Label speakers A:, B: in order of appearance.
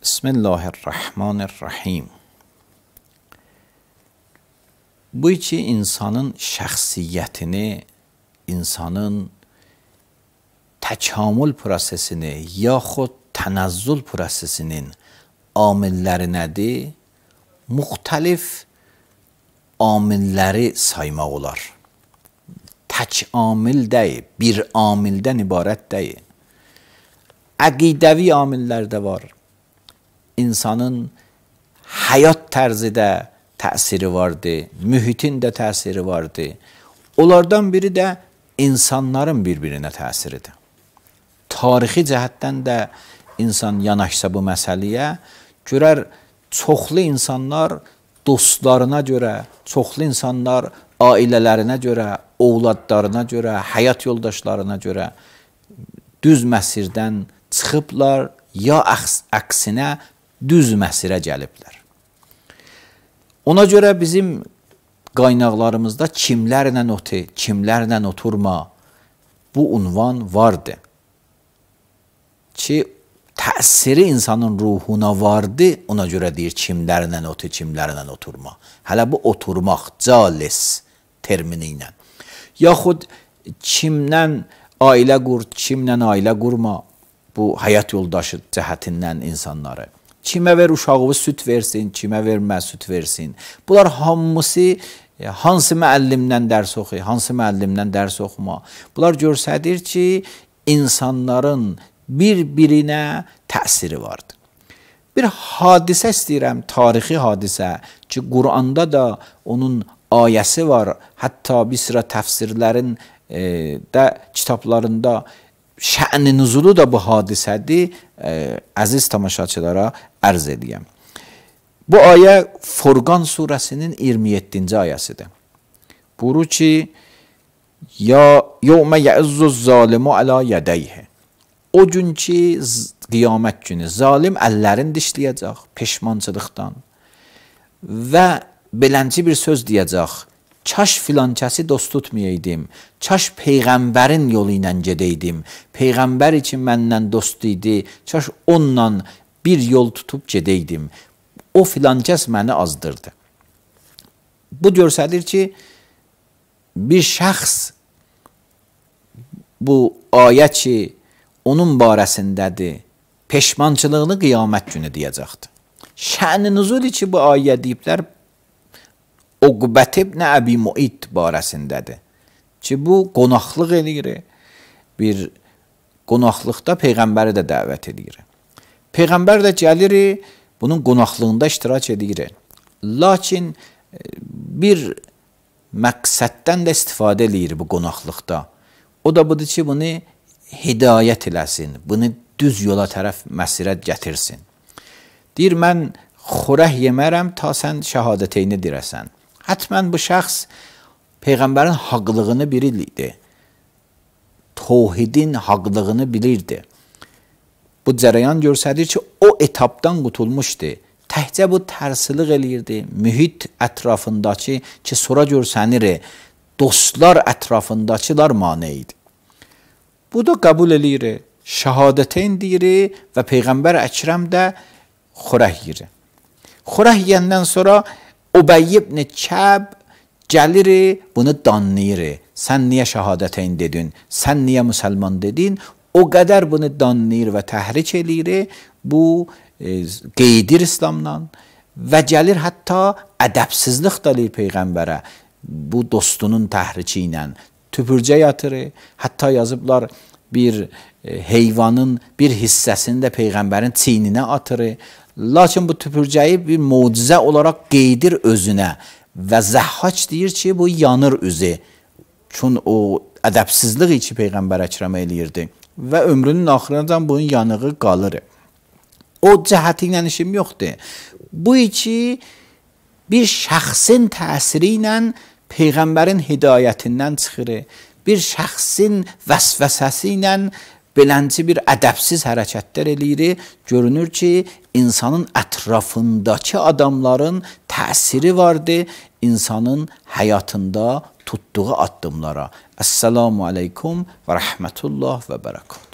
A: Bismillahirrahmanirrahim. Bu iki insanın şəxsiyyətini, insanın təkamül prosesini yaxud tənəzzül prosesinin amilləri nədir? Müxtəlif amilləri saymaq olar. Tək amil deyil, bir amildən ibarət deyil. Əqidəvi amillər də var. İnsanın həyat tərzidə təsiri vardır, mühitin də təsiri vardır. Onlardan biri də insanların bir-birinə təsiridir. Tarixi cəhətdən də insan yanaşsa bu məsələyə, görər çoxlu insanlar dostlarına görə, çoxlu insanlar ailələrinə görə, ovladlarına görə, həyat yoldaşlarına görə düz məsirdən çıxıblar, ya əksinə düz məsirə gəliblər. Ona görə bizim qaynaqlarımızda kimlərlə otur, kimlərlə oturma bu unvan vardı. Ki, təsiri insanın ruhuna vardı, ona görə deyir kimlərlə otur, kimlərlə oturma. Hələ bu oturmaq, calis termini ilə. Yaxud kimlə ailə qur, kimlə ailə qurma, bu həyat yoldaşı cəhətindən insanları. Kimə ver uşağını süt versin, kimə vermə süt versin. Bunlar hamısı hansı müəllimdən dərs oxuyur, hansı müəllimdən dərs oxuma. Bunlar göstərir ki, insanların bir-birinə təsiri vardır. Bir hadisə istəyirəm, tarixi hadisə ki, Quranda da onun ayəsi var. Hətta bir sıra təfsirlərin də kitablarında şə'n-i nüzulu da bu hadisədir. Əziz tamaşaçılara ərz edəyəm. Bu ayə Furqan surəsinin 27-ci ayəsidir. Buyurur ki, yevmə yə'izzuz zalimu alə yədəyhi. O gün ki, qiyamət günü zalim əllərini dişləyəcək peşmançılıqdan və belənci bir söz deyəcək. Kaş filankəsi dost tutmayaydım, kaş Peyğəmbərin yolu ilə gedəydim, Peyğəmbər üçün məndən dost idi, kaş onunla bir yol tutub gedəydim, o filankəs məni azdırdı. Bu göstərir ki, bir şəxs bu ayə ki, onun barəsindədir, peşmançılığını qiyamət günü deyəcəkdir. Şə'n-i nüzul ki, bu ayə deyiblər, Uqbət ibn Əbi Mu'id barəsindədir. Ki, bu qonaqlıq eləyir. Bir qonaqlıqda Peyğəmbəri də dəvət edir. Peyğəmbər də gəlir, bunun qonaqlığında iştirak edir. Lakin bir məqsəddən də istifadə eləyir bu qonaqlıqda. O da budur ki, bunu hidayət eləsin, bunu düz yola tərəf məsirət gətirsin. Deyir, mən xörək yemərəm, ta sən şəhadəteyni dirəsən. Hətmən bu şəxs Peyğəmbərin haqlığını bilirdi. Tohidin haqlığını bilirdi. Bu cərəyan göstərir ki, o etapdan qutulmuşdu. Təhcə bu tərsilik eləyirdi. Mühit ətrafındakı ki, sonra görsənir, dostlar ətrafındakılar mane idi. Bu da qəbul eləyir. Şəhadəteyn deyir və Peyğəmbər Əkrəm də xörək yiyir. Xörək yiyəndən sonra Ubey ibn Kəb gəlir, bunu danlayır. Sən niyə şəhadəteyn dedin? Sən niyə müsəlman dedin? O qədər bunu danlayır və təhrik eləyir. Bu qeydir İslamdan və gəlir hətta ədəbsizlik da eləyir Peyğəmbərə. Bu dostunun təhriki ilə tüpürcə yatır. Hətta yazıblar bir heyvanın bir hissəsini də Peyğəmbərin çiyninə atır. Lakin bu tüpürcəyi bir mucizə olaraq qeydir özünə və Zəhhac deyir ki, bu yanır üzü. Çünki o ədəbsizlik içi Peyğəmbər Əkrəm eləyirdi və ömrünün axırınacan bunun yanığı qalır. O cəhəti ilə işim yoxdur. Bu iki bir şəxsin təsiri ilə Peyğəmbərin hidayətindən çıxır. Bir şəxsin vəsvəsəsi ilə belənci bir ədəbsiz hərəkətlər eləyir. Görünür ki, insanın ətrafındakı adamların təsiri vardır insanın həyatında tutduğu addımlara. Əssalamu aleykum və rəhmətullah və bərəkət.